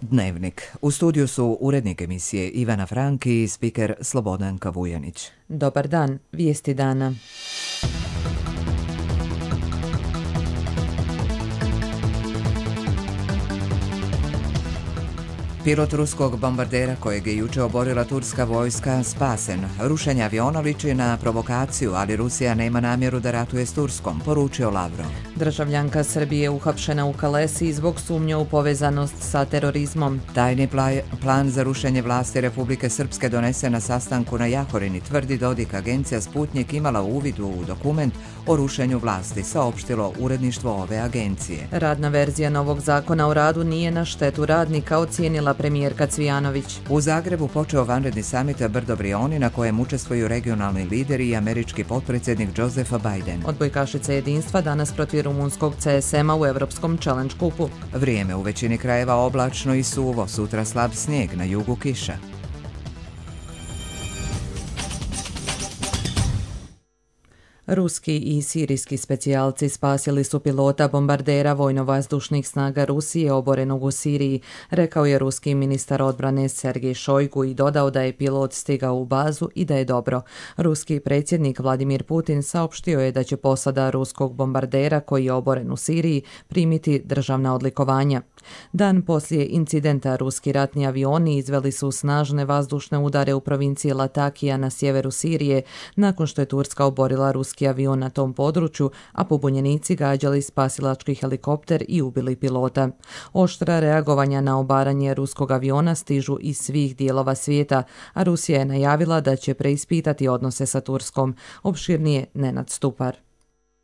Dnevnik. U studiju su urednik emisije Ivana Franki i spiker Slobodanka Vujanić. Dobar dan, vijesti dana. Pilot ruskog bombardera kojeg je juče oborila turska vojska spasen. Rušenje aviona liči na provokaciju, ali Rusija nema namjeru da ratuje s Turskom, poručio Lavrov. Državljanka Srbije uhapšena u Kalesiji zbog sumnje u povezanost sa terorizmom. Tajni plan za rušenje vlasti Republike Srpske donesen na sastanku na Jahorini, tvrdi Dodik. Agencija Sputnik imala uvid u dokument o rušenju vlasti, saopštilo uredništvo ove agencije. Radna verzija novog zakona o radu nije na štetu radnika, ocijenila premijerka Cvijanović. U Zagrebu počeo vanredni samit Brdo Brioni na kojem učestvuju regionalni lideri i američki potpredsjednik Josefa Biden. Odbojkašice jedinstva danas protiv rumunskog CSM-a u Europskom Challenge kupu. Vrijeme u većini krajeva oblačno i suvo, sutra slab snijeg, na jugu kiša. Ruski i sirijski specijalci spasili su pilota bombardera vojno-vazdušnih snaga Rusije oborenog u Siriji, rekao je ruski ministar odbrane Sergej Šojgu i dodao da je pilot stigao u bazu i da je dobro. Ruski predsjednik Vladimir Putin saopštio je da će posada ruskog bombardera koji je oboren u Siriji primiti državna odlikovanja. Dan poslije incidenta ruski ratni avioni izveli su snažne vazdušne udare u provinciji Latakija na sjeveru Sirije nakon što je Turska oborila ruski avion na tom području, a pobunjenici gađali spasilački helikopter i ubili pilota. Oštra reagovanja na obaranje ruskog aviona stižu iz svih dijelova svijeta, a Rusija je najavila da će preispitati odnose sa Turskom. Opširnije Nenad Stupar.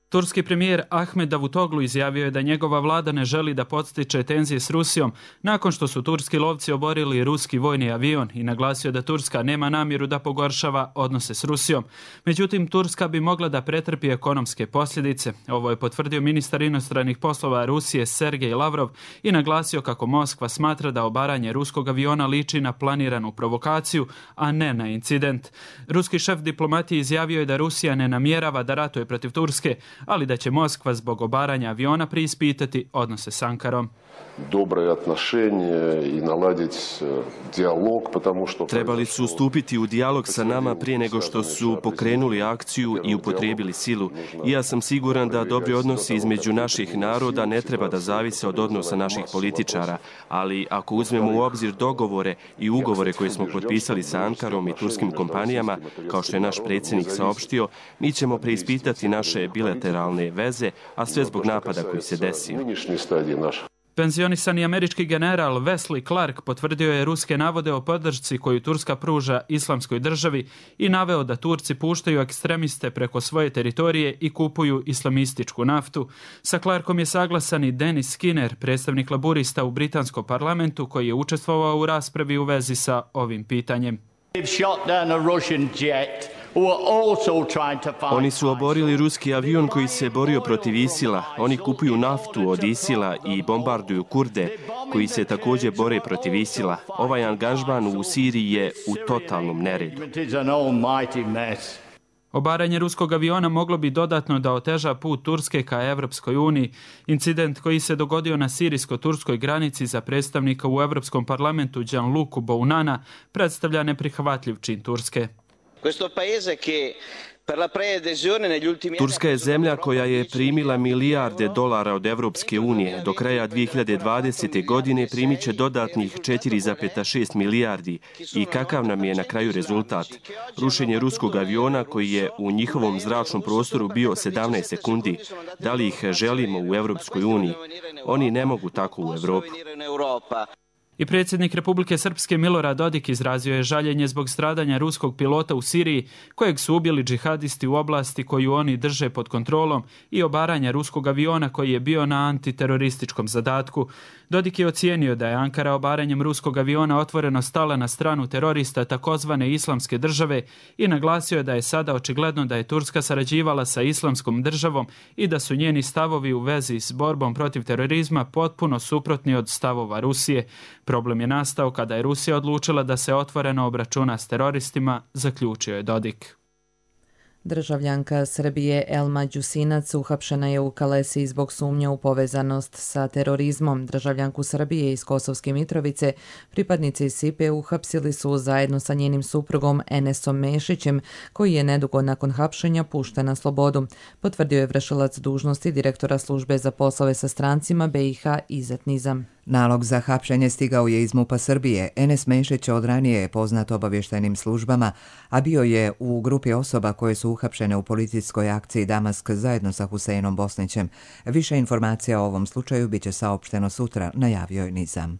Turski premijer Ahmed Davutoglu izjavio je da njegova vlada ne želi da podstiče tenzije s Rusijom nakon što su turski lovci oborili ruski vojni avion i naglasio da Turska nema namjeru da pogoršava odnose s Rusijom. Međutim, Turska bi mogla da pretrpi ekonomske posljedice. Ovo je potvrdio ministar inostranih poslova Rusije Sergej Lavrov i naglasio kako Moskva smatra da obaranje ruskog aviona liči na planiranu provokaciju, a ne na incident. Ruski šef diplomatije izjavio je da Rusija ne namjerava da ratuje protiv Turske, ali da će Moskva zbog obaranja aviona preispitati odnose s Ankarom. Trebali su stupiti u dijalog sa nama prije nego što su pokrenuli akciju i upotrijebili silu. I ja sam siguran da dobri odnosi između naših naroda ne treba da zavise od odnosa naših političara, ali ako uzmemo u obzir dogovore i ugovore koje smo potpisali sa Ankarom i turskim kompanijama, kao što je naš predsjednik saopštio, mi ćemo preispitati naše bilateralne veze, a sve zbog napada koji se desio. Penzionisani američki general Wesley Clark potvrdio je ruske navode o podršci koju Turska pruža islamskoj državi i naveo da Turci puštaju ekstremiste preko svoje teritorije i kupuju islamističku naftu. Sa Clarkom je saglasan i Dennis Skinner, predstavnik laburista u britanskom parlamentu koji je učestvovao u raspravi u vezi sa ovim pitanjem. Oni su oborili ruski avion koji se borio protiv ISIL-a. Oni kupuju naftu od ISIL-a i bombarduju Kurde, koji se također bore protiv ISIL-a. Ovaj angažman u Siriji je u totalnom neredu. Obaranje ruskog aviona moglo bi dodatno da oteža put Turske ka Evropskoj uniji. Incident koji se dogodio na sirijsko-turskoj granici za predstavnika u Europskom parlamentu Gianluca Bounana predstavlja neprihvatljiv čin Turske. Turska je zemlja koja je primila milijarde dolara od Evropske unije. Do kraja 2020. godine primit će dodatnih 4,6 milijardi. I kakav nam je na kraju rezultat? Rušenje ruskog aviona koji je u njihovom zračnom prostoru bio 17 sekundi. Da li ih želimo u Evropskoj uniji? Oni ne mogu tako u Evropu. I predsjednik Republike Srpske Milorad Dodik izrazio je žaljenje zbog stradanja ruskog pilota u Siriji, kojeg su ubili džihadisti u oblasti koju oni drže pod kontrolom, i obaranja ruskog aviona koji je bio na antiterorističkom zadatku. Dodik je ocijenio da je Ankara obaranjem ruskog aviona otvoreno stala na stranu terorista takozvane islamske države i naglasio je da je sada očigledno da je Turska sarađivala sa islamskom državom i da su njeni stavovi u vezi s borbom protiv terorizma potpuno suprotni od stavova Rusije. Problem je nastao kada je Rusija odlučila da se otvoreno obračuna s teroristima, zaključio je Dodik. Državljanka Srbije Elma Đusinac uhapšena je u Kalesiji zbog sumnje u povezanost sa terorizmom. Državljanku Srbije iz Kosovske Mitrovice pripadnici SIPE uhapsili su zajedno sa njenim suprugom Enesom Mešićem, koji je nedugo nakon hapšenja pušten na slobodu, potvrdio je vršilac dužnosti direktora službe za poslove sa strancima BiH Izet Nizam. Nalog za hapšenje stigao je iz MUP-a Srbije. Enes Mešić od ranije je poznat obavještajnim službama, a bio je u grupi osoba koje su uhapšene u policijskoj akciji Damask zajedno sa Huseinom Bosnićem. Više informacija o ovom slučaju biće saopšteno sutra, najavio je Nizam.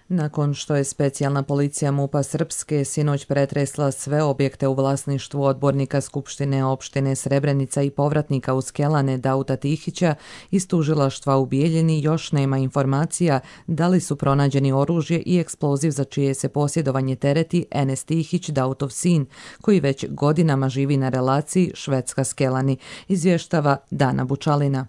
Nakon što je specijalna policija MUP-a Srpske sinoć pretresla sve objekte u vlasništvu odbornika Skupštine opštine Srebrenica i povratnika u Skelane Dauta Tihića, iz tužilaštva u Bijeljini još nema informacija da li su pronađeni oružje i eksploziv za čije se posjedovanje tereti Enes Tihić, Dautov sin, koji već godinama živi na relaciji Švedska-Skelani, izvještava Dana Bučalina.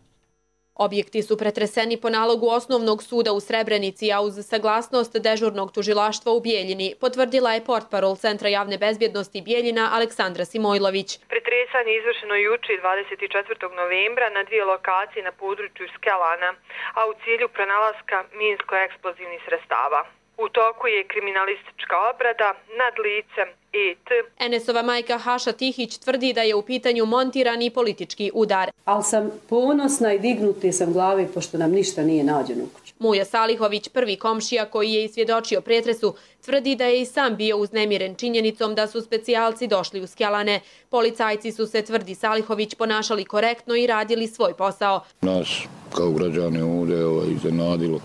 Objekti su pretreseni po nalogu Osnovnog suda u Srebrenici, a uz saglasnost dežurnog tužilaštva u Bijeljini, potvrdila je portparol Centra javne bezbjednosti Bijeljina Aleksandra Simojlović. Pretresanje je izvršeno juče 24. novembra na dvije lokacije na području Skelana, a u cilju pronalaska minsko-eksplozivnih sredstava. U toku je kriminalistička obrada nad licem E.T. Enesova majka Haša Tihić tvrdi da je u pitanju montirani politički udar. Ali sam ponosna i dignuti sam glave pošto nam ništa nije nađeno u kući. Muja Salihović, prvi komšija koji je isvjedočio pretresu, tvrdi da je i sam bio uznemiren činjenicom da su specijalci došli u Skelane. Policajci su se, tvrdi Salihović, ponašali korektno i radili svoj posao. Nas kao građane ovdje iznenadilo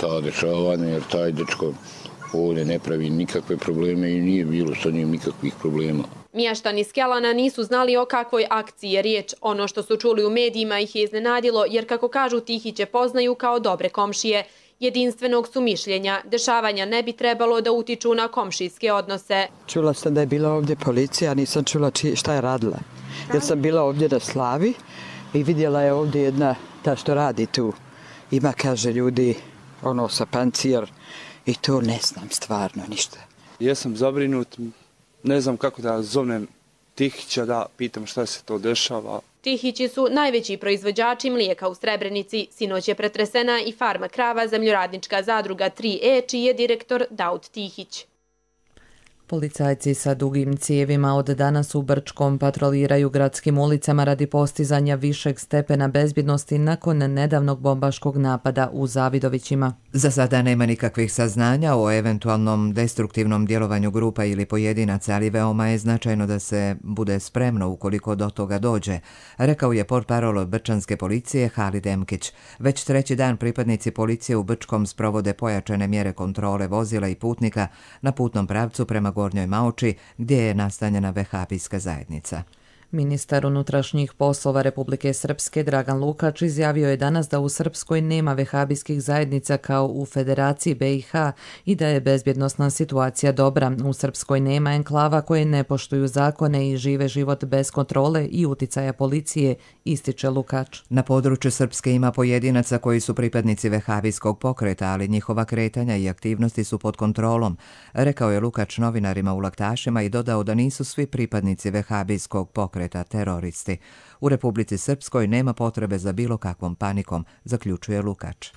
ta dešavanja, jer taj dečko ovdje ne pravi nikakve probleme i nije bilo sa njim nikakvih problema. Mještani Skelana nisu znali o kakvoj akciji je riječ. Ono što su čuli u medijima ih je iznenadilo, jer kako kažu Tihiće poznaju kao dobre komšije. Jedinstvenog su mišljenja. Dešavanja ne bi trebalo da utiču na komšijske odnose. Čula sam da je bila ovdje policija, nisam čula šta je radila. Jer sam bila ovdje na slavi i vidjela je ovdje jedna ta što radi tu. Ima, kaže, ljudi, sa pancir i to ne znam stvarno ništa. Jesam zabrinut, ne znam kako da zovnem Tihića da pitam šta se to dešava. Tihići su najveći proizvođači mlijeka u Srebrenici. Sinoć je pretresena i farma krava Zemljoradnička zadruga 3E, čiji je direktor Daut Tihić. Policajci sa dugim cijevima od danas u Brčkom patroliraju gradskim ulicama radi postizanja višeg stepena bezbjednosti nakon nedavnog bombaškog napada u Zavidovićima. Za sada nema nikakvih saznanja o eventualnom destruktivnom djelovanju grupa ili pojedinaca, ali veoma je značajno da se bude spremno ukoliko do toga dođe, rekao je portparol Brčanske policije Halid Emkić. Već treći dan pripadnici policije u Brčkom sprovode pojačane mjere kontrole vozila i putnika na putnom pravcu prema Gornjoj Maoči, gdje je nastanjena vehabijska zajednica. Ministar unutrašnjih poslova Republike Srpske Dragan Lukač izjavio je danas da u Srpskoj nema vehabijskih zajednica kao u Federaciji BiH i da je bezbjednosna situacija dobra. U Srpskoj nema enklava koje ne poštuju zakone i žive život bez kontrole i uticaja policije, ističe Lukač. Na području Srpske ima pojedinaca koji su pripadnici vehabijskog pokreta, ali njihova kretanja i aktivnosti su pod kontrolom, rekao je Lukač novinarima u Laktašima i dodao da nisu svi pripadnici vehabijskog pokreta teroristi. U Republici Srpskoj nema potrebe za bilo kakvom panikom, zaključuje Lukač.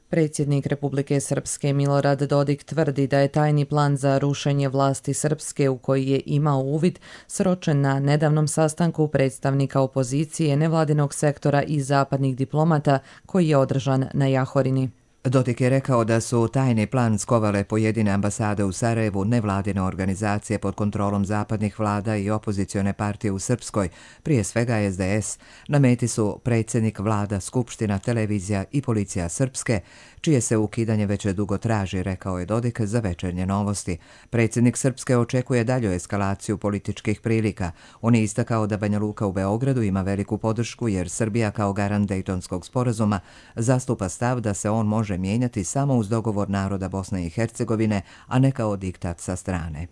Predsjednik Republike Srpske Milorad Dodik tvrdi da je tajni plan za rušenje vlasti Srpske u koji je imao uvid sročen na nedavnom sastanku predstavnika opozicije, nevladinog sektora i zapadnih diplomata koji je održan na Jahorini. Dodik je rekao da su tajni plan skovale pojedine ambasade u Sarajevu, nevladine organizacije pod kontrolom zapadnih vlada i opozicione partije u Srpskoj, prije svega SDS. Na meti su predsjednik vlada, skupština, televizija i policija Srpske, čije se ukidanje već dugo traži, rekao je Dodik za Večernje novosti. Predsjednik Srpske očekuje dalju eskalaciju političkih prilika. On je istakao da Banja Luka u Beogradu ima veliku podršku jer Srbija kao garant Dejtonskog sporazuma zastupa stav da se on može mijenjati samo uz dogovor naroda Bosne i Hercegovine, a ne kao diktat sa strane.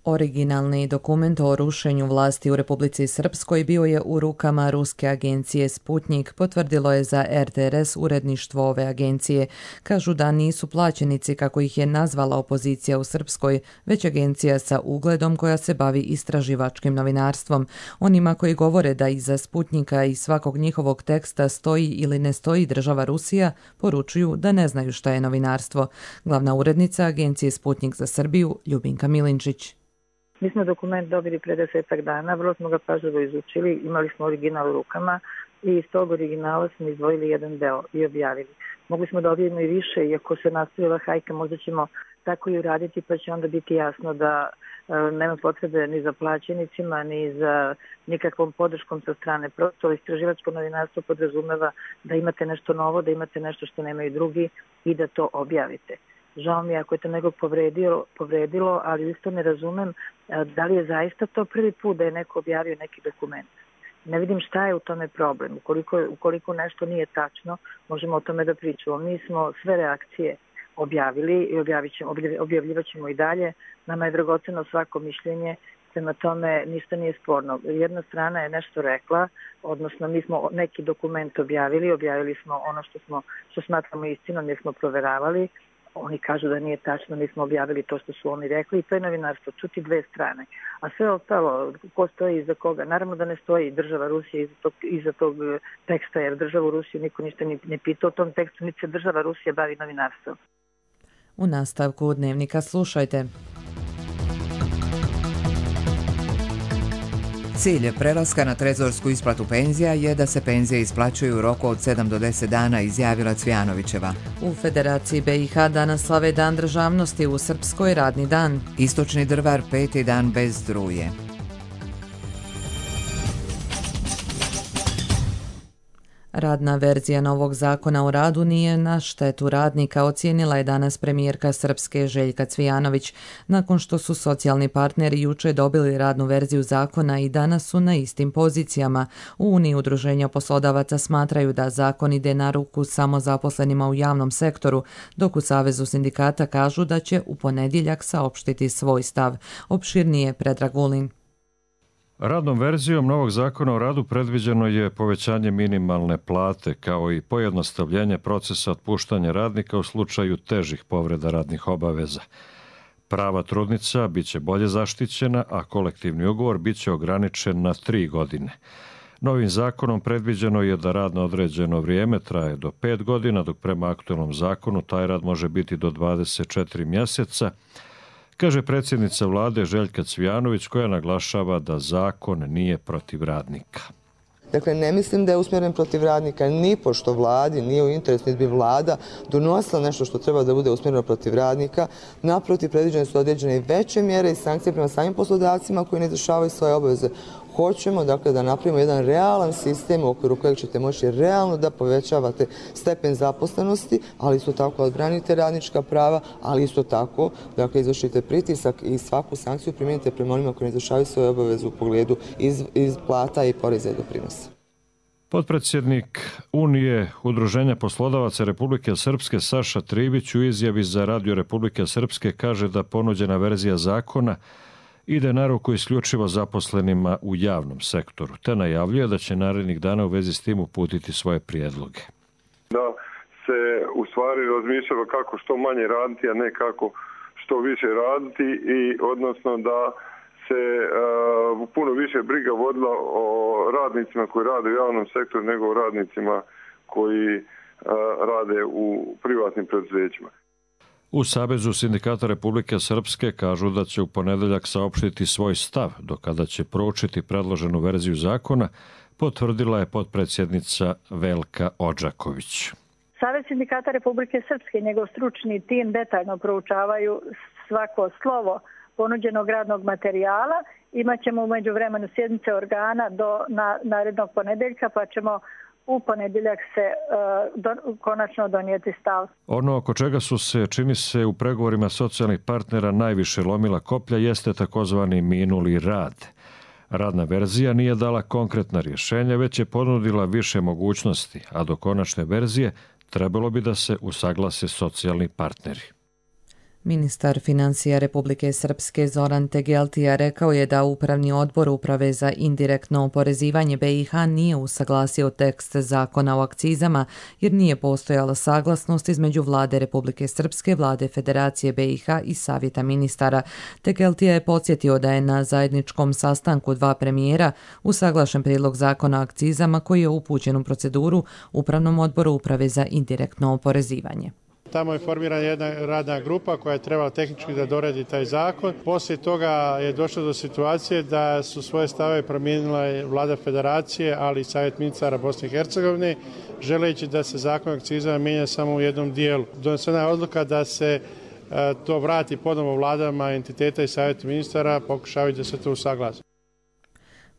Originalni dokument o rušenju vlasti u Republici Srpskoj bio je u rukama ruske agencije Sputnik, potvrdilo je za RTRS uredništvo ove agencije. Kažu da nisu plaćenici, kako ih je nazvala opozicija u Srpskoj, već agencija sa ugledom koja se bavi istraživačkim novinarstvom. Onima koji govore da iza Sputnika i svakog njihovog teksta stoji ili ne stoji država Rusija, poručuju da ne znaju šta je novinarstvo. Glavna urednica agencije Sputnik za Srbiju, Ljubinka Milinčić. Mi smo dokument dobili pre 10 dana, vrlo smo ga pažljivo izučili, imali smo original u rukama i iz tog originala smo izdvojili jedan deo i objavili. Mogli smo da objavimo i više, iako se nastavila hajka, možda ćemo tako i uraditi, pa će onda biti jasno da nema potrebe ni za plaćenicima, ni za nikakvom podrškom sa strane. Prosto istraživačko novinarstvo podrazumeva da imate nešto novo, da imate nešto što nemaju drugi i da to objavite. Žao mi je ako je to nekog povredilo, ali isto ne razumem da li je zaista to prvi put da je neko objavio neki dokument. Ne vidim šta je u tome problem. Ukoliko nešto nije tačno, možemo o tome da pričamo. Mi smo sve reakcije objavili i objavljivat ćemo i dalje. Nama je dragoceno svako mišljenje, prema tome ništa nije sporno. Jedna strana je nešto rekla, odnosno mi smo neki dokument objavili smo ono što smatramo istinom jer smo proveravali. Oni kažu da nije tačno, mi smo objavili to što su oni rekli i to je novinarstvo, čuti dve strane. A sve ostalo, ko stoji iza koga? Naravno da ne stoji država Rusija iza tog teksta, jer državu Rusiju niko ništa ne pita o tom tekstu, niti se država Rusija bavi novinarstvom. U nastavku Dnevnika slušajte. Cilj prelaska na trezorsku isplatu penzija je da se penzije isplaćuju u roku od 7 do 10 dana, izjavila Cvijanovićeva. U Federaciji BiH danas slave Dan državnosti, u Srpskoj radni dan. Istočni Drvar 5. dan bez struje. Radna verzija novog zakona o radu nije na štetu radnika, ocijenila je danas premijerka Srpske Željka Cvijanović. Nakon što su socijalni partneri juče dobili radnu verziju zakona i danas su na istim pozicijama. U Uniji udruženja poslodavaca smatraju da zakon ide na ruku samo zaposlenima u javnom sektoru, dok u Savezu sindikata kažu da će u ponedjeljak saopštiti svoj stav. Opširnije Predrag Vulin. Radnom verzijom novog zakona o radu predviđeno je povećanje minimalne plate kao i pojednostavljenje procesa otpuštanja radnika u slučaju težih povreda radnih obaveza. Prava trudnica biće bolje zaštićena, a kolektivni ugovor biće ograničen na 3 godine. Novim zakonom predviđeno je da rad na određeno vrijeme traje do 5 godina, dok prema aktualnom zakonu taj rad može biti do 24 mjeseca, kaže predsjednica vlade Željka Cvijanović, koja naglašava da zakon nije protiv radnika. Dakle, ne mislim da je usmjeren protiv radnika, ni pošto vladi nije u interesu, niti bi vlada donosila nešto što treba da bude usmjereno protiv radnika. Naprotiv, predviđene su određene i veće mjere i sankcije prema samim poslodavcima koji ne izvršavaju svoje obaveze. Hoćemo dakle, da napravimo jedan realan sistem u okviru kojeg ćete moći realno da povećavate stepen zaposlenosti, ali isto tako odbranite radnička prava, ali isto tako dakle, izvršite pritisak i svaku sankciju primijenite prema onima koji ne izvršavaju svoje obaveze u pogledu iz plata i poreza i doprinosa. Potpredsjednik Unije Udruženja poslodavaca Republike Srpske Saša Tribić u izjavi za Radio Republike Srpske kaže da ponuđena verzija zakona ide na ruku isključivo zaposlenima u javnom sektoru, te najavljuje da će narednih dana u vezi s tim uputiti svoje prijedloge. Da se u stvari razmišljalo kako što manje raditi, a ne kako što više raditi i odnosno da se puno više briga vodila o radnicima koji rade u javnom sektoru nego o radnicima koji rade u privatnim preduzećima. U Savezu sindikata Republike Srpske kažu da će u ponedjeljak saopštiti svoj stav, do kada će proučiti predloženu verziju zakona, potvrdila je potpredsjednica Velka Odžaković. Savez sindikata Republike Srpske i njegov stručni tim detaljno proučavaju svako slovo ponuđenog radnog materijala. Imaćemo u međuvremenu sjednice organa do narednog ponedjeljka, pa ćemo u ponedjeljak se konačno donijeti stav. Ono oko čega su se, čini se, u pregovorima socijalnih partnera najviše lomila koplja jeste takozvani minuli rad. Radna verzija nije dala konkretna rješenja, već je ponudila više mogućnosti, a do konačne verzije trebalo bi da se usaglase socijalni partneri. Ministar financija Republike Srpske Zoran Tegeltija rekao je da Upravni odbor Uprave za indirektno oporezivanje BiH nije usaglasio tekst zakona o akcizama jer nije postojala saglasnost između Vlade Republike Srpske, Vlade Federacije BiH i Savjeta ministara. Tegeltija je podsjetio da je na zajedničkom sastanku dva premijera usaglašen prijedlog zakona o akcizama koji je upućen u proceduru Upravnom odboru Uprave za indirektno oporezivanje. Tamo je formirana jedna radna grupa koja je trebala tehnički da doradi taj zakon. Poslije toga je došlo do situacije da su svoje stave promijenila Vlada Federacije, ali i Savjet ministara Bosne i Hercegovine, želeći da se zakon o akcizama mijenja samo u jednom dijelu. Donesena je odluka da se to vrati ponovo vladama entiteta i Savjetu ministara, pokušavaju da se to usaglasi.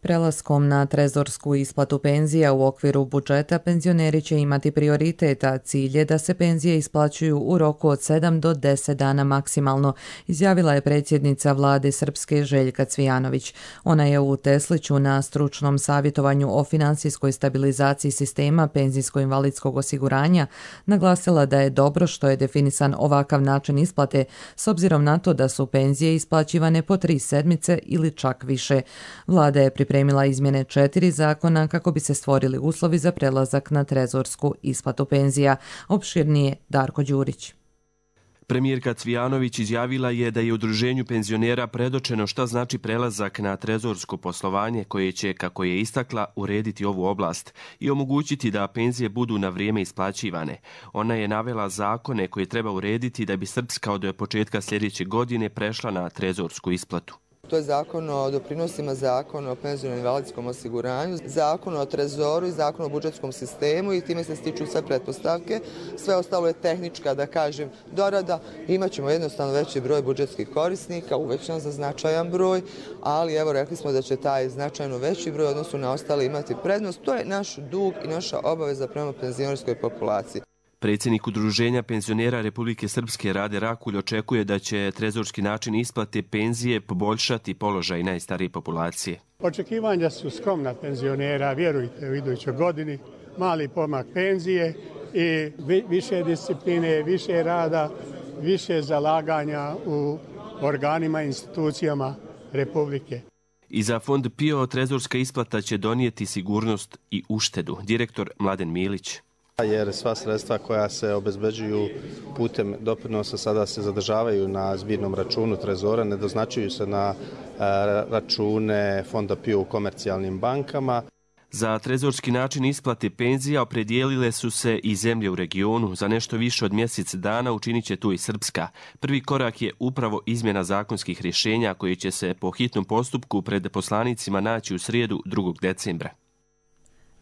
Prelaskom na trezorsku isplatu penzija u okviru budžeta penzioneri će imati prioritet, a cilj je da se penzije isplaćuju u roku od 7 do 10 dana maksimalno, izjavila je predsjednica vlade Srpske Željka Cvijanović. Ona je u Tesliću na stručnom savjetovanju o finansijskoj stabilizaciji sistema penzijsko-invalidskog osiguranja naglasila da je dobro što je definisan ovakav način isplate s obzirom na to da su penzije isplaćivane po 3 sedmice ili čak više. Vlada je pripremila izmjene 4 zakona kako bi se stvorili uslovi za prelazak na trezorsku isplatu penzija. Opširnije Darko Đurić. Premijerka Cvijanović izjavila je da je udruženju penzionera predočeno šta znači prelazak na trezorsko poslovanje koje će, kako je istakla, urediti ovu oblast i omogućiti da penzije budu na vrijeme isplaćivane. Ona je navela zakone koje treba urediti da bi Srpska od početka sljedeće godine prešla na trezorsku isplatu. To je zakon o doprinosima, zakon o penzijskom invalidskom osiguranju, zakon o trezoru i zakon o budžetskom sistemu i time se stiču sve pretpostavke. Sve ostalo je tehnička, da kažem, dorada. Imaćemo jednostavno veći broj budžetskih korisnika, uvećan za značajan broj, ali evo rekli smo da će taj značajno veći broj odnosu na ostale imati prednost. To je naš dug i naša obaveza prema penzionerskoj populaciji. Predsjednik Udruženja penzionera Republike Srpske Rade Rakulj očekuje da će trezorski način isplate penzije poboljšati položaj najstarije populacije. Očekivanja su skromna penzionera, vjerujte, u idućoj godini, mali pomak penzije i više discipline, više rada, više zalaganja u organima i institucijama Republike. I za fond PIO trezorska isplata će donijeti sigurnost i uštedu. Direktor Mladen Milić. Jer sva sredstva koja se obezbeđuju putem doprinosa sada se zadržavaju na zbirnom računu trezora, ne doznačuju se na račune fonda PIO u komercijalnim bankama. Za trezorski način isplate penzija opredijelile su se i zemlje u regionu. Za nešto više od mjesec dana učinit će tu i Srpska. Prvi korak je upravo izmjena zakonskih rješenja koji će se po hitnom postupku pred poslanicima naći u srijedu 2. decembra.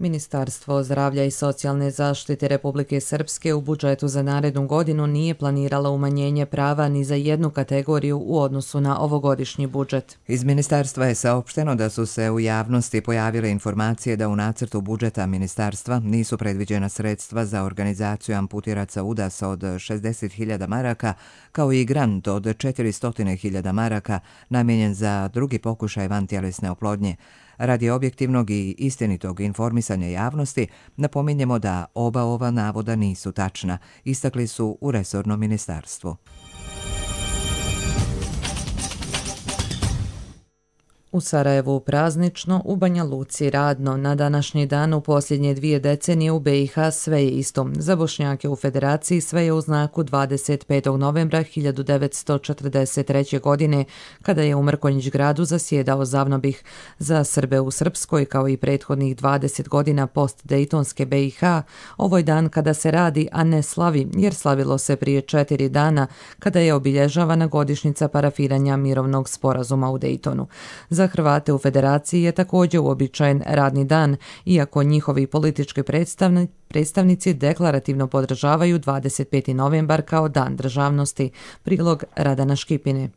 Ministarstvo zdravlja i socijalne zaštite Republike Srpske u budžetu za narednu godinu nije planiralo umanjenje prava ni za jednu kategoriju u odnosu na ovogodišnji budžet. Iz ministarstva je saopšteno da su se u javnosti pojavile informacije da u nacrtu budžeta ministarstva nisu predviđena sredstva za organizaciju amputiraca udasa od 60.000 maraka, kao i grant od 400.000 maraka namijenjen za drugi pokušaj vantjelesne oplodnje. Radi objektivnog i istinitog informisanja javnosti, napominjemo da oba ova navoda nisu tačna, istakli su u resornom ministarstvu. U Sarajevu praznično, u Banja Luci radno. Na današnji dan u posljednje 2 decenije u BiH sve je isto. Za Bošnjake u Federaciji sve je u znaku 25. novembra 1943. godine, kada je u Mrkonjić gradu zasjedao Zavnobih. Za Srbe u Srpskoj, kao i prethodnih 20 godina post-dejtonske BiH, ovo je dan kada se radi, a ne slavi, jer slavilo se prije 4 dana, kada je obilježavana godišnjica parafiranja mirovnog sporazuma u Dejtonu. Za Hrvate u Federaciji je također uobičajen radni dan, iako njihovi politički predstavnici deklarativno podržavaju 25. novembar kao dan državnosti. Prilog Radana Škipine.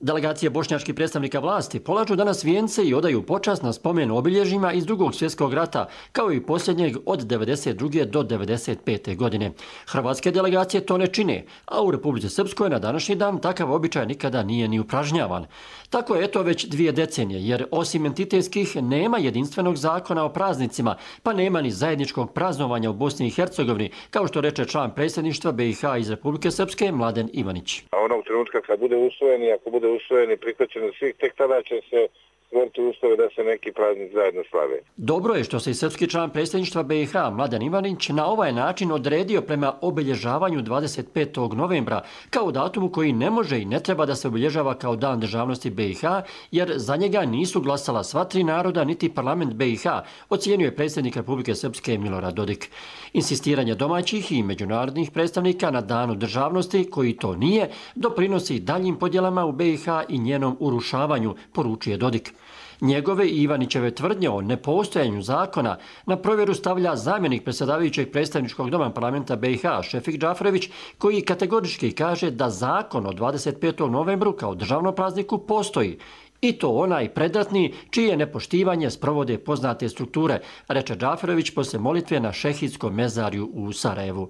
Delegacije bošnjačkih predstavnika vlasti polažu danas vijence i odaju počast na spomen obilježjima iz Drugog svjetskog rata, kao i posljednjeg od 92. do 95. godine. Hrvatske delegacije to ne čine, a u Republici Srpskoj na današnji dan takav običaj nikada nije ni upražnjavan. Tako je to već 2 decenije, jer osim entitetskih nema jedinstvenog zakona o praznicima, pa nema ni zajedničkog praznovanja u Bosni i Hercegovini, kao što reče član predsjedništva BiH iz Republike Srpske Mladen Ivanić. A onog trenutka kad bude usvojen i ako bude usvojen i prihvaćen od svih, tek tada će se stvoriti uslove da se neki praznik zajedno slave. Dobro je što se i srpski član predsjedništva BiH Mladen Ivanić na ovaj način odredio prema obilježavanju 25. novembra kao datumu koji ne može i ne treba da se obilježava kao dan državnosti BiH, jer za njega nisu glasala sva 3 naroda niti parlament BiH, ocijenio predsjednik Republike Srpske Milorad Dodik. Insistiranje domaćih i međunarodnih predstavnika na danu državnosti, koji to nije, doprinosi daljim podjelama u BiH i njenom urušavanju, poručuje Dodik. Njegove i Ivanićeve tvrdnje o nepostojanju zakona na provjeru stavlja zamjenik predsjedavajućeg predstavničkog doma parlamenta BiH Šefik Džaferović, koji kategorički kaže da zakon o 25. novembru kao državnom prazniku postoji. I to onaj predratni čije nepoštivanje sprovode poznate strukture, reče Džaferović poslije molitve na šehidskom mezarju u Sarajevu.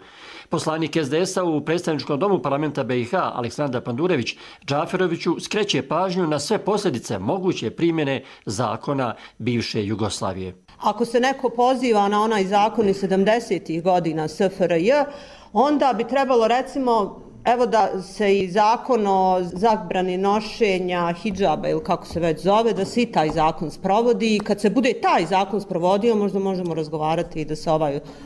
Poslanik SDS-a u predstavničkom domu parlamenta BiH Aleksandar Pandurević Džaferoviću skreće pažnju na sve posljedice moguće primjene zakona bivše Jugoslavije. Ako se neko poziva na onaj zakon iz 70. godina SFRJ, onda bi trebalo recimo evo da se i zakon o zabrani nošenja hidžaba ili kako se već zove, da se i taj zakon sprovodi i kad se bude taj zakon sprovodio možda možemo razgovarati i da se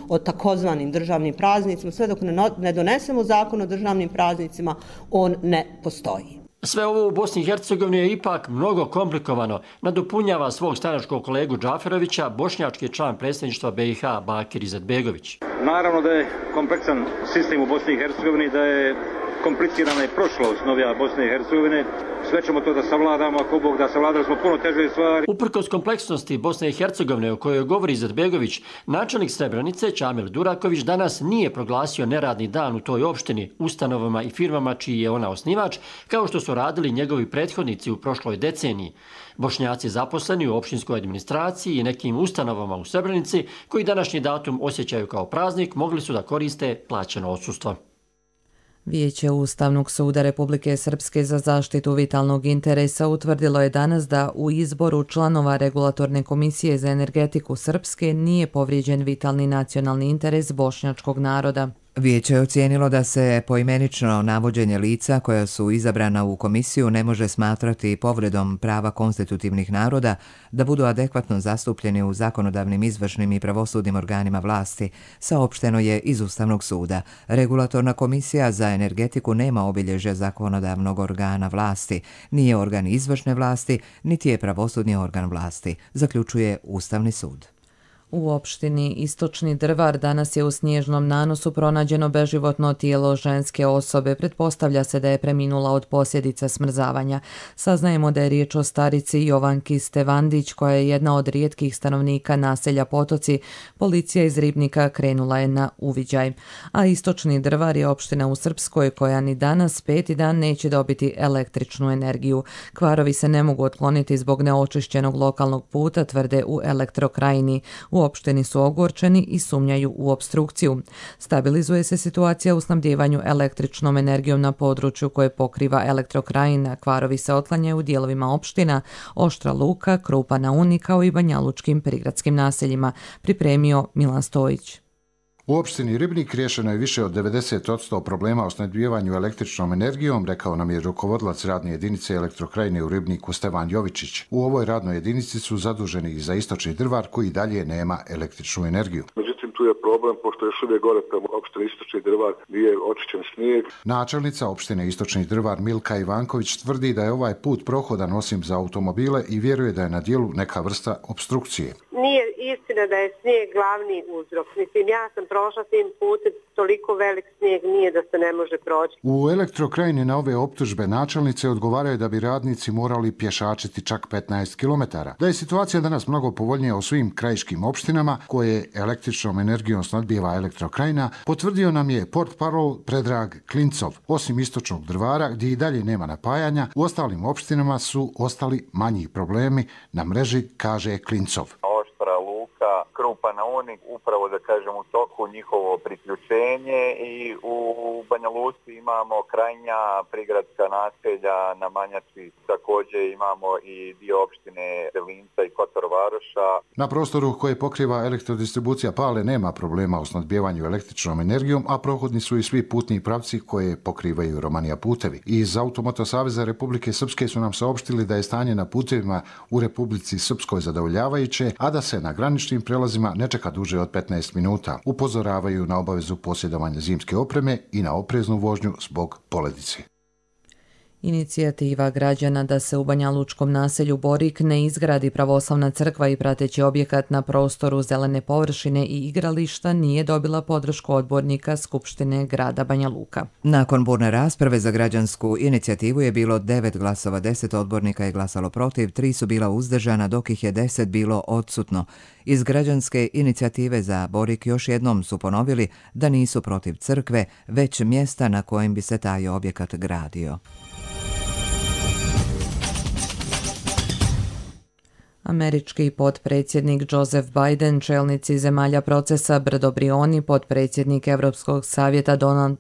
o takozvanim državnim praznicima, sve dok ne donesemo zakon o državnim praznicima, on ne postoji. Sve ovo u Bosni i Hercegovini je ipak mnogo komplikovano, nadopunjava svog stranačkog kolegu Džaferovića bošnjački član predsjedništva BiH Bakir Izetbegović. Naravno da je kompleksan sistem u Bosni i Hercegovini, da je komplicirana i prošlost novija Bosne i Hercegovine. Sve ćemo to da savladamo, ako Bog da savladali smo puno teže stvari. Uprkos kompleksnosti Bosne i Hercegovine o kojoj govori Izetbegović, načelnik Srebrenice Čamil Duraković danas nije proglasio neradni dan u toj opštini, ustanovama i firmama čiji je ona osnivač, kao što su radili njegovi prethodnici u prošloj deceniji. Bošnjaci zaposleni u opštinskoj administraciji i nekim ustanovama u Srebrenici, koji današnji datum osjećaju kao praznik, mogli su da koriste plaćeno odsustvo. Vijeće Ustavnog suda Republike Srpske za zaštitu vitalnog interesa utvrdilo je danas da u izboru članova Regulatorne komisije za energetiku Srpske nije povrijeđen vitalni nacionalni interes bošnjačkog naroda. Vijeće je ocijenilo da se poimenično navođenje lica koja su izabrana u komisiju ne može smatrati povredom prava konstitutivnih naroda da budu adekvatno zastupljeni u zakonodavnim, izvršnim i pravosudnim organima vlasti, saopšteno je iz Ustavnog suda. Regulatorna komisija za energetiku nema obilježja zakonodavnog organa vlasti, nije organ izvršne vlasti, niti je pravosudni organ vlasti, zaključuje Ustavni sud. U opštini Istočni Drvar danas je u snježnom nanosu pronađeno beživotno tijelo ženske osobe. Pretpostavlja se da je preminula od posljedica smrzavanja. Saznajemo da je riječ o starici Jovanki Stevandić, koja je jedna od rijetkih stanovnika naselja Potoci. Policija iz Ribnika krenula je na uviđaj. A Istočni Drvar je opština u Srpskoj koja ni danas 5. dan neće dobiti električnu energiju. Kvarovi se ne mogu otkloniti zbog neočišćenog lokalnog puta, tvrde u Elektrokrajini. U opštini su ogorčeni i sumnjaju u opstrukciju. Stabilizuje se situacija u snabdjevanju električnom energijom na području koje pokriva Elektrokrajina. Kvarovi se otklanjaju u dijelovima opština Oštra Luka, Krupa na Uni kao i banjalučkim prigradskim naseljima, pripremio Milan Stojić. U opštini Ribnik riješeno je više od 90% problema o snabdijevanju električnom energijom, rekao nam je rukovodilac radne jedinice Elektrokrajine u Ribniku Stevan Jovičić. U ovoj radnoj jedinici su zaduženi i za Istočni Drvar koji dalje nema električnu energiju. Međutim, tu je problem, pošto još uvijek gore prema opštini Istočni Drvar nije očišćen snijeg. Načelnica opštine Istočni Drvar Milka Ivanković tvrdi da je ovaj put prohodan osim za automobile i vjeruje da je na dijelu neka vrsta opstrukcije. Nije istina da je snijeg glavni uzrok. Mislim, ja sam prošla tim putem, toliko velik snijeg nije da se ne može proći. U Elektrokrajini na ove optužbe načelnice odgovaraju da bi radnici morali pješačiti čak 15 km. Da je situacija danas mnogo povoljnija u svim krajiškim opštinama koje električnom energijom snadbijeva Elektrokrajina, potvrdio nam je portparol Predrag Klincov. Osim istočnog Drvara, gdje i dalje nema napajanja, u ostalim opštinama su ostali manji problemi na mreži, kaže Klincov. Oštra Luka, Krupa na Uni, upravo da kažem u toku njihovo priključenje i u Banja Luci imamo krajnja prigradska naselja na Manjači, također imamo i dio opštine Delinca i Kotor Varoša. Na prostoru koje pokriva elektrodistribucija Pale nema problema u snadbijevanju električnom energijom, a prohodni su i svi putni pravci koje pokrivaju Romanija putevi. Iz Automoto Saveza Republike Srpske su nam saopštili da je stanje na putevima u Republici Srpskoj zadovoljavajuće, a da se na graničnim prelazima ne čeka duže od 15 minuta. Upozoravaju na obavezu posjedovanja zimske opreme i na opreznu vožnju zbog poledice. Inicijativa građana da se u banjalučkom naselju Borik ne izgradi pravoslavna crkva i prateći objekat na prostoru zelene površine i igrališta nije dobila podršku odbornika Skupštine grada Banja Luka. Nakon burne rasprave za građansku inicijativu je bilo 9 glasova, 10 odbornika je glasalo protiv, 3 su bila uzdržana, dok ih je 10 bilo odsutno. Iz građanske inicijative za Borik još jednom su ponovili da nisu protiv crkve, već mjesta na kojem bi se taj objekat gradio. Američki potpredsjednik Joseph Biden, čelnici zemalja procesa Brdo Brioni, potpredsjednik Europskog savjeta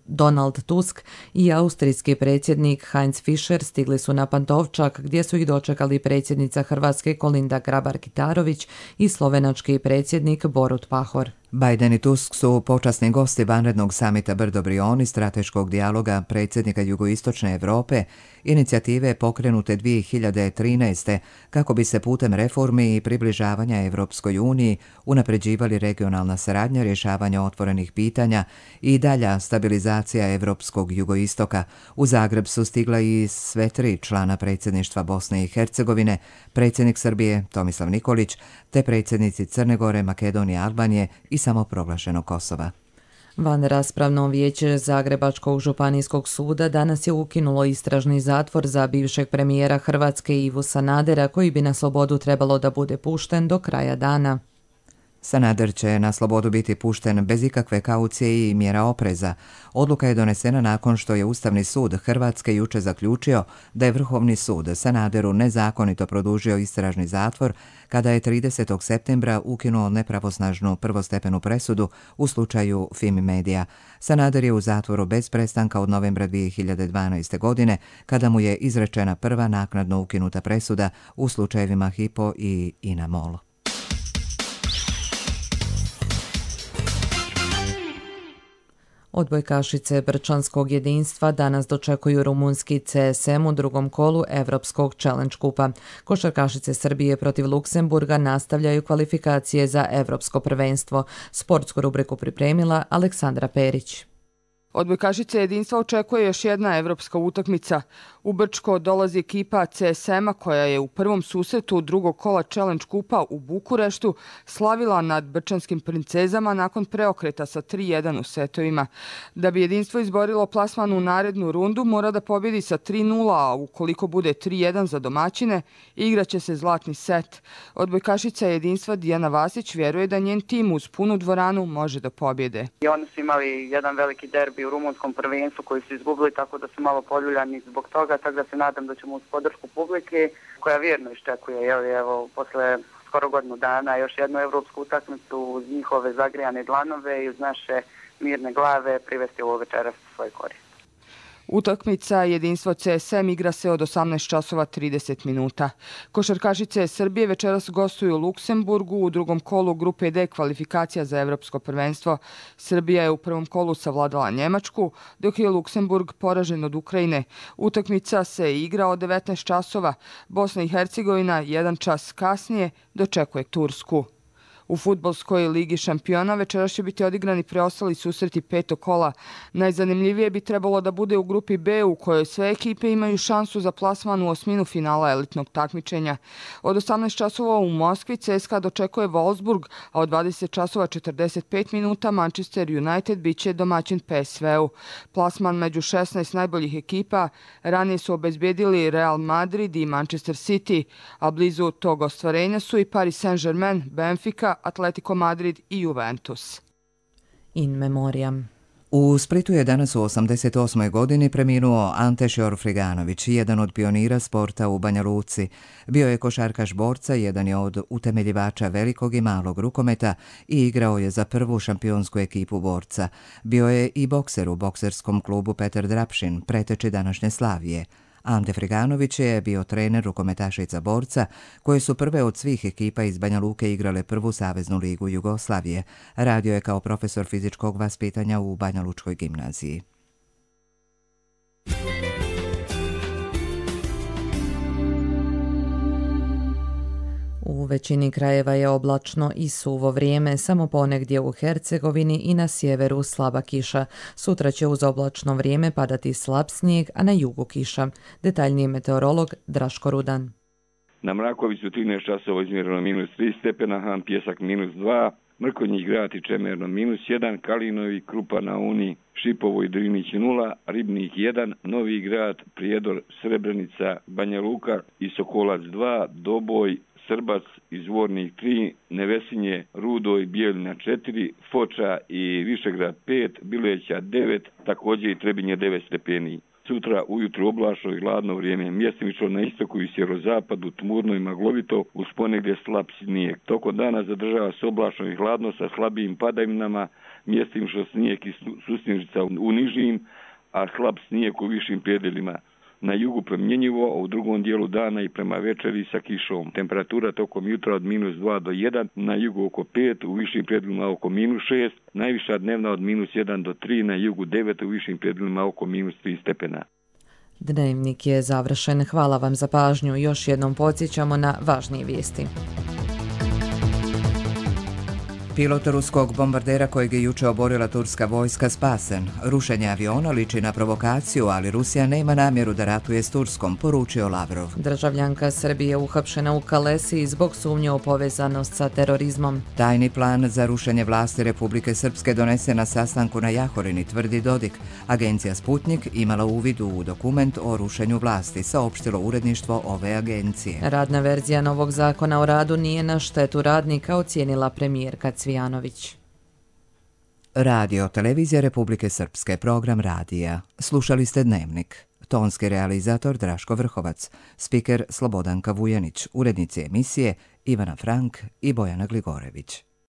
Donald Tusk i austrijski predsjednik Heinz Fischer stigli su na Pantovčak gdje su ih dočekali predsjednica Hrvatske Kolinda Grabar-Kitarović i slovenački predsjednik Borut Pahor. Biden i Tusk su počasni gosti vanrednog samita Brdo Brioni, strateškog dijaloga predsjednika Jugoistočne Europe, inicijative pokrenute 2013. kako bi se putem reformi i približavanja Evropskoj uniji unapređivali regionalna saradnja, rješavanja otvorenih pitanja i dalja stabilizacija Evropskog jugoistoka. U Zagreb su stigla i sve 3 člana predsjedništva Bosne i Hercegovine, predsjednik Srbije Tomislav Nikolić, te predsjednici Crne Gore, Makedonije, Albanije i samoproglašenog Kosova. Vanraspravno vijeće Zagrebačkog županijskog suda danas je ukinulo istražni zatvor za bivšeg premijera Hrvatske Ivu Sanadera, koji bi na slobodu trebalo da bude pušten do kraja dana. Sanader će na slobodu biti pušten bez ikakve kaucije i mjera opreza. Odluka je donesena nakon što je Ustavni sud Hrvatske juče zaključio da je Vrhovni sud Sanaderu nezakonito produžio istražni zatvor kada je 30. septembra ukinuo nepravosnažnu prvostepenu presudu u slučaju Fimi Media. Sanader je u zatvoru bez prestanka od novembra 2012. godine kada mu je izrečena prva naknadno ukinuta presuda u slučajevima Hypo i Inamol. Odbojkašice Brčanskog jedinstva danas dočekuju rumunski CSM u drugom kolu Evropskog Challenge kupa. Košarkašice Srbije protiv Luksemburga nastavljaju kvalifikacije za Evropsko prvenstvo. Sportsku rubriku pripremila Aleksandra Perić. Odbojkašice jedinstva očekuje još jedna evropska utakmica. U Brčko dolazi ekipa CSM-a koja je u prvom susretu drugog kola Challenge kupa u Bukureštu slavila nad brčanskim princezama nakon preokreta sa 3-1 u setovima. Da bi jedinstvo izborilo plasman u narednu rundu, mora da pobjedi sa 3-0, a ukoliko bude 3-1 za domaćine, igraće se zlatni set. Odbojkašica jedinstva Dijana Vasić vjeruje da njen tim uz punu dvoranu može da pobjede. I oni su imali jedan veliki derbi u rumunskom prvenstvu koji su izgubili, tako da su malo poljuljani zbog toga, tako da se nadam da ćemo uz podršku publike koja vjerno iščekuje, evo, posle skoro godinu dana još jednu evropsku utakmicu uz njihove zagrijane dlanove i uz naše mirne glave privesti ovo večeras u svoj korist. Utakmica jedinstvo CSM igra se od 18 časova 30 minuta. Košarkašice Srbije večeras gostuju u Luksemburgu u drugom kolu grupe D kvalifikacija za Evropsko prvenstvo. Srbija je u prvom kolu savladala Njemačku, dok je Luksemburg poražen od Ukrajine. Utakmica se igra od 19 časova. Bosna i Hercegovina 1 čas kasnije dočekuje Tursku. U fudbalskoj ligi šampiona večeras će biti odigrani preostali susreti 5. kola. Najzanimljivije bi trebalo da bude u grupi B u kojoj sve ekipe imaju šansu za plasman u osminu finala elitnog takmičenja. Od 18 časova u Moskvi CSKA dočekuje Wolfsburg, a od 20 časova 45 minuta Manchester United biće domaćin PSV-u. Plasman među 16 najboljih ekipa ranije su obezbedili Real Madrid i Manchester City, a blizu tog ostvarenja su i Paris Saint-Germain, Benfica, Atletico Madrid i Juventus. In memoriam. U Splitu je danas u 88. godini preminuo Ante Šorfriganović, jedan od pionira sporta u Banja Luci. Bio je košarkaš borca, jedan je od utemeljivača velikog i malog rukometa i igrao je za prvu šampionsku ekipu borca. Bio je i bokser u bokserskom klubu Petar Drapšin, preteči današnje Slavije. Ante Friganović je bio trener rukometašica borca, koje su prve od svih ekipa iz Banja Luke igrale prvu saveznu ligu Jugoslavije. Radio je kao profesor fizičkog vaspitanja u Banja Lučkoj gimnaziji. U većini krajeva je oblačno i suvo vrijeme, samo ponegdje u Hercegovini i na sjeveru slaba kiša. Sutra će uz oblačno vrijeme padati slab snijeg, a na jugu kiša. Detaljniji meteorolog Draško Rudan. Na Mrakoviću 13 časova izmjereno -3 stepena, Han Pjesak -2, Mrkonjić Grad i Čemerno -1, Kalinovi, Krupa na Uni, Šipovo i Drinić 0, Ribnik 1, Novi Grad, Prijedor, Srebrenica, Banja Luka i Sokolac 2, Doboj, Srbac i Zvornik 3, Nevesinje, Rudo i Bijeljina 4, Foča i Višegrad 5, Bileća 9, također i Trebinje 9 stepeni. Sutra ujutru oblačno i hladno vrijeme, mjestimično na istoku i sjeverozapadu, tmurno i maglovito, uz ponegdje slab snijeg. Tokom dana zadržava se oblačno i hladno sa slabijim padavinama, mjestimično snijeg i susnježica u nižim, a slab snijeg u višim predjelima. Na jugu promjenjivo, a u drugom dijelu dana i prema večeri sa kišom. Temperatura tokom jutra od -2 do 1, na jugu oko 5, u višim predjelima oko -6, najviša dnevna od -1 do 3, na jugu 9, u višim predjelima oko -3 stepena. Dnevnik je završen. Hvala vam za pažnju. Još jednom podsjećamo na važnije vijesti. Pilot ruskog bombardera kojeg je juče oborila turska vojska spasen. Rušenje aviona liči na provokaciju, ali Rusija nema namjeru da ratuje s Turskom, poručio Lavrov. Državljanka Srbije uhapšena u Kalesiji zbog sumnje u povezanost sa terorizmom. Tajni plan za rušenje vlasti Republike Srpske donese na sastanku na Jahorini, tvrdi Dodik. Agencija Sputnik imala uvid u dokument o rušenju vlasti, saopštilo uredništvo ove agencije. Radna verzija novog zakona o radu nije na štetu radnika, ocijenila premijerka Cvijanović. Radio Televizija Republike Srpske, program radija. Slušali ste Dnevnik. Tonski realizator Draško Vrhovac, spiker Slobodanka Vujanić, urednici emisije Ivana Frank i Bojana Gligorević.